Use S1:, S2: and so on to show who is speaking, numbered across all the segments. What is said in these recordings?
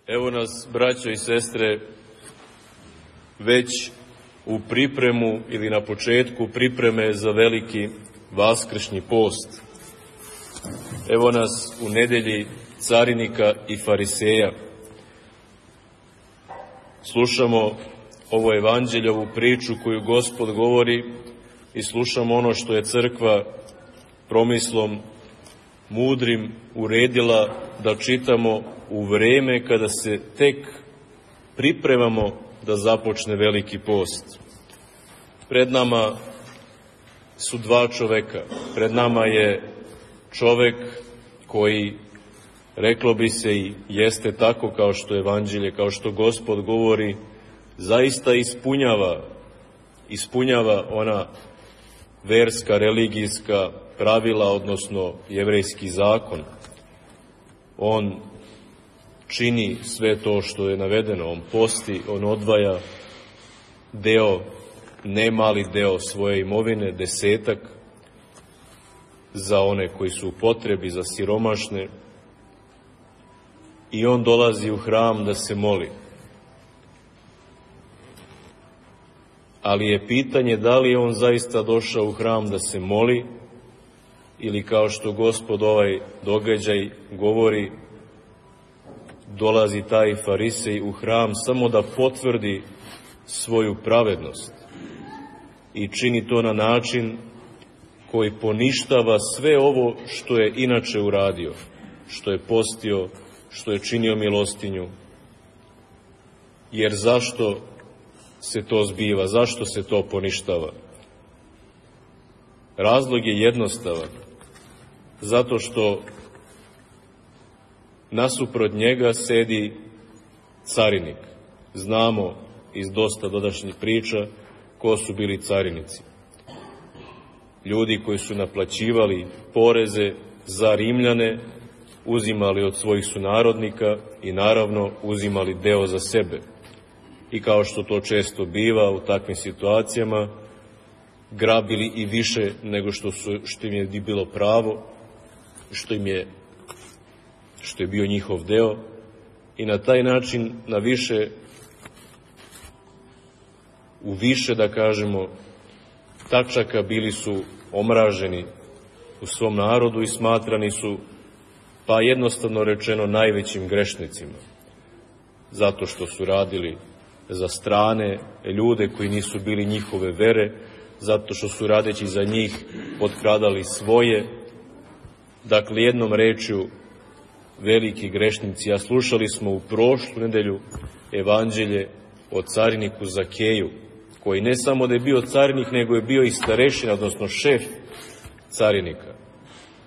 S1: Evo nas, braćo i sestre, već u pripremu ili na početku pripreme za veliki vaskršnji post. Evo nas u nedelji carinika i fariseja. Slušamo ovo evanđelje, ovu priču koju Gospod govori i slušamo ono što je crkva promislom mudrim uredila da čitamo u vreme kada se tek pripremamo da započne veliki post. Pred nama su dva čoveka. Pred nama je čovek koji, reklo bi se i jeste tako kao što evanđelje, kao što Gospod govori, zaista ispunjava ona verska, religijska pravila, odnosno jevrejski zakon. On čini sve to što je navedeno, on posti, on odvaja deo, ne mali deo svoje imovine, 10 za one koji su u potrebi, za siromašne, i on dolazi u hram da se moli. Ali je pitanje da li je on zaista došao u hram da se moli, ili kao što Gospod ovaj događaj govori, dolazi taj farisej u hram samo da potvrdi svoju pravednost i čini to na način koji poništava sve ovo što je inače uradio, što je postio, što je činio milostinju. Jer zašto se to zbiva, zašto se to poništava? Razlog je jednostavan. Zato što nasuprot njega sedi carinik. Znamo iz dosta dodašnjih priča ko su bili carinici. Ljudi koji su naplaćivali poreze za Rimljane, uzimali od svojih sunarodnika i naravno uzimali deo za sebe. I kao što to često biva u takvim situacijama, grabili i više nego što im je bilo pravo, što je bio njihov deo, i na taj način u više, da kažemo, tačaka bili su omraženi u svom narodu i smatrani su, pa jednostavno rečeno, najvećim grešnicima. Zato što su radili za strane ljude koji nisu bili njihove vere, zato što su radeći za njih potkradali svoje. Dakle, jednom rečju, veliki grešnici. A slušali smo u prošlu nedelju evanđelje o cariniku Zakeju, koji ne samo da je bio carinik, nego je bio i starešina, odnosno šef carinika,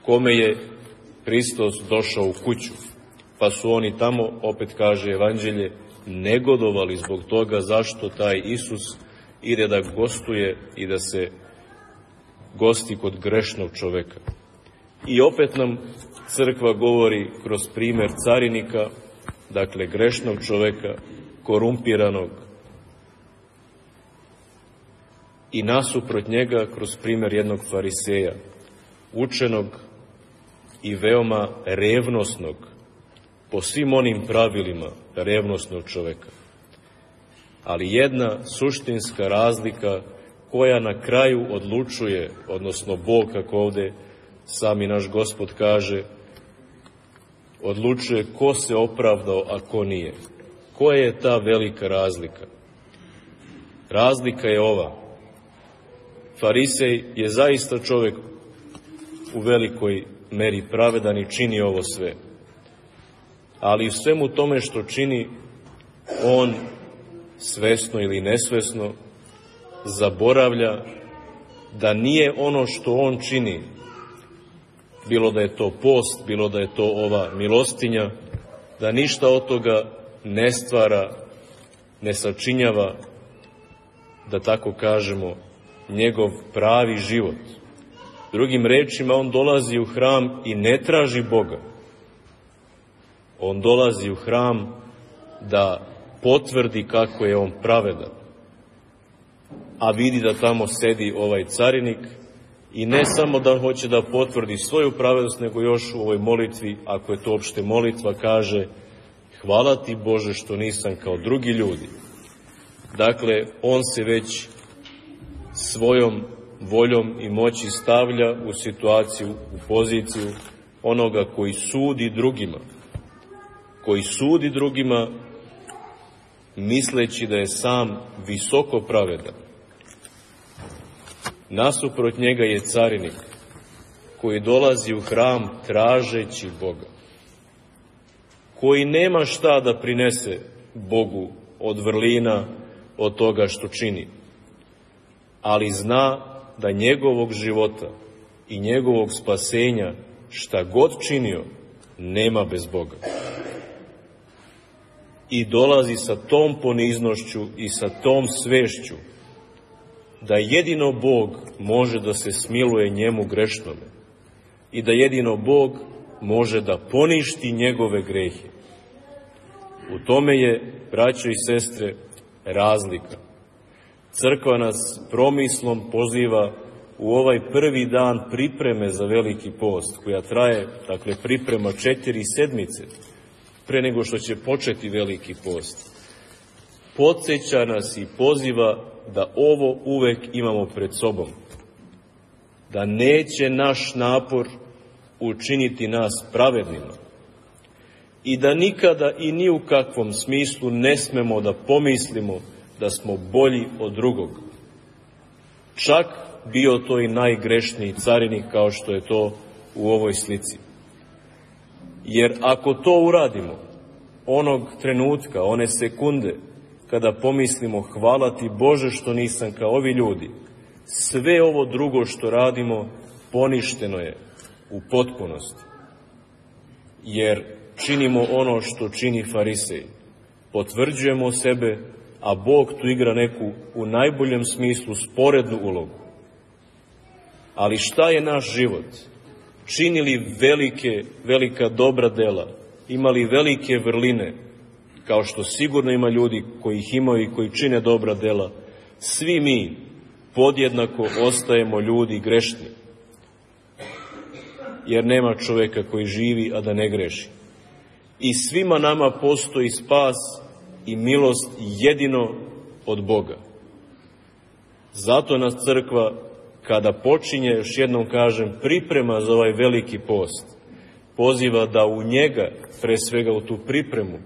S1: kome je Hristos došao u kuću. Pa su oni tamo, opet kaže evanđelje, negodovali zbog toga zašto taj Isus ide da gostuje i da se gosti kod grešnog čoveka. I opet nam crkva govori kroz primer carinika, dakle grešnog čoveka, korumpiranog, i nasuprot njega kroz primer jednog fariseja, učenog i veoma revnosnog, po svim onim pravilima revnosnog čoveka. Ali jedna suštinska razlika koja na kraju odlučuje, odnosno Bog, kako ovde sami naš Gospod kaže, odlučuje ko se opravdao, a ko nije. Koja je ta velika razlika? Razlika je ova. Farisej je zaista čovek u velikoj meri pravedan i čini ovo sve. Ali u svemu tome što čini, on svesno ili nesvesno zaboravlja da nije ono što on čini, bilo da je to post, bilo da je to ova milostinja, da ništa od toga ne stvara, ne sačinjava, da tako kažemo, njegov pravi život. Drugim rečima, on dolazi u hram i ne traži Boga. On dolazi u hram da potvrdi kako je on pravedan, a vidi da tamo sedi ovaj carinik i ne samo da hoće da potvrdi svoju pravednost, nego još u ovoj molitvi, ako je to uopšte molitva, kaže: hvala ti Bože što nisam kao drugi ljudi. Dakle, on se već svojom voljom i moći stavlja u situaciju, u poziciju onoga koji sudi drugima, misleći da je sam visoko pravedan. Nasuprot njega je carinik koji dolazi u hram tražeći Boga, koji nema šta da prinese Bogu od vrlina, od toga što čini, ali zna da njegovog života i njegovog spasenja, šta god činio, nema bez Boga. I dolazi sa tom poniznošću i sa tom svešću da jedino Bog može da se smiluje njemu grešnome i da jedino Bog može da poništi njegove grehe. U tome je, braćo i sestre, razlika. Crkva nas promislom poziva u ovaj prvi dan pripreme za Veliki post, koja traje, dakle, priprema 4 sedmice pre nego što će početi Veliki post. Podsjeća nas i poziva da ovo uvek imamo pred sobom, da neće naš napor učiniti nas pravednima i da nikada i ni u kakvom smislu ne smemo da pomislimo da smo bolji od drugog. Čak bio to i najgrešniji carinik, kao što je to u ovoj slici. Jer ako to uradimo, onog trenutka, one sekunde, kada pomislimo hvala ti Bože što nisam kao ovi ljudi, sve ovo drugo što radimo poništeno je u potpunosti. Jer činimo ono što čini farisej. Potvrđujemo sebe, a Bog tu igra neku, u najboljem smislu, sporednu ulogu. Ali šta je naš život? Činili velika dobra dela, imali velike vrline, kao što sigurno ima ljudi koji ih imaju i koji čine dobra dela, svi mi podjednako ostajemo ljudi grešni. Jer nema čoveka koji živi, a da ne greši. I svima nama postoji spas i milost jedino od Boga. Zato nas crkva, kada počinje, još jednom kažem, priprema za ovaj veliki post, poziva da u njega, pre svega u tu pripremu,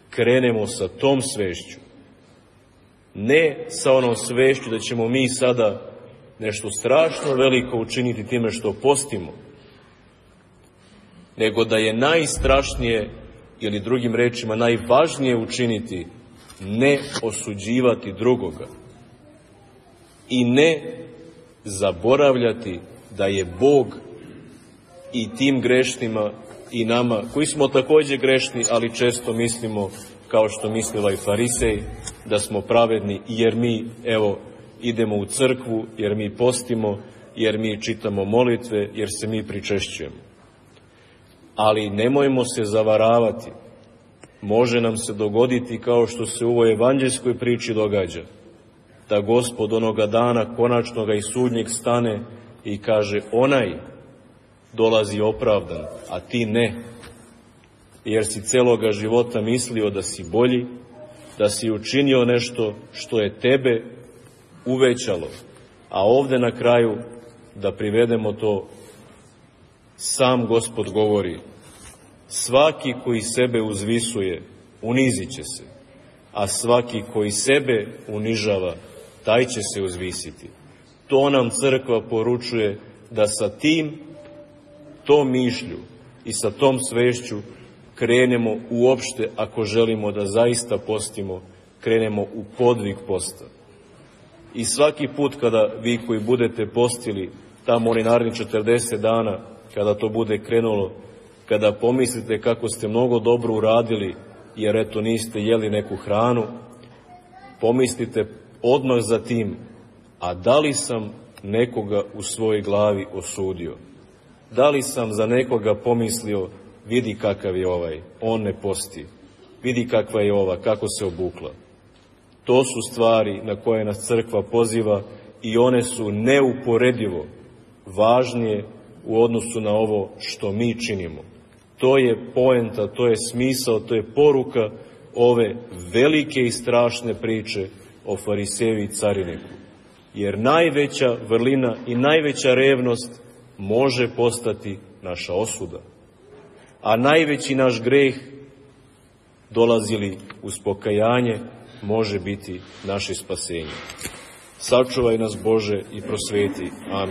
S1: krenemo sa tom svešću. Ne sa onom svešću da ćemo mi sada nešto strašno veliko učiniti time što postimo, nego da je najstrašnije, ili drugim rečima najvažnije učiniti, ne osuđivati drugoga i ne zaboravljati da je Bog i tim grešnima i nama, koji smo takođe grešni, ali često mislimo, kao što misli ovaj farisej, da smo pravedni jer mi, evo, idemo u crkvu, jer mi postimo, jer mi čitamo molitve, jer se mi pričešćujemo. Ali nemojmo se zavaravati. Može nam se dogoditi, kao što se u ovoj evanđeljskoj priči događa, da Gospod onoga dana konačnoga i sudnjeg stane i kaže: onaj dolazi opravdan, a ti ne, jer si celoga života mislio da si bolji, da si učinio nešto što je tebe uvećalo, a ovde na kraju, da privedemo to, sam Gospod govori: svaki koji sebe uzvisuje, unizit će se, a svaki koji sebe unižava, taj će se uzvisiti. To nam crkva poručuje, da sa tom mišlju i sa tom svešću krenemo uopšte, ako želimo da zaista postimo, krenemo u podvig posta. I svaki put kada vi koji budete postili, tamo oni naredni 40 dana, kada to bude krenulo, kada pomislite kako ste mnogo dobro uradili, jer eto niste jeli neku hranu, pomislite odmah za tim: a da li sam nekoga u svojoj glavi osudio? Da li sam za nekoga pomislio: vidi kakav je ovaj, on ne posti, vidi kakva je ova, kako se obukla? To su stvari na koje nas crkva poziva i one su neuporedivo važnije u odnosu na ovo što mi činimo. to je poenta, to je smisao, to je poruka ove velike i strašne priče o fariseju i cariniku. Jer najveća vrlina i najveća revnost može postati naša osuda. A najveći naš greh, dolazili uz pokajanje, može biti naše spasenje. Sačuvaj nas, Bože, i prosveti. Amin.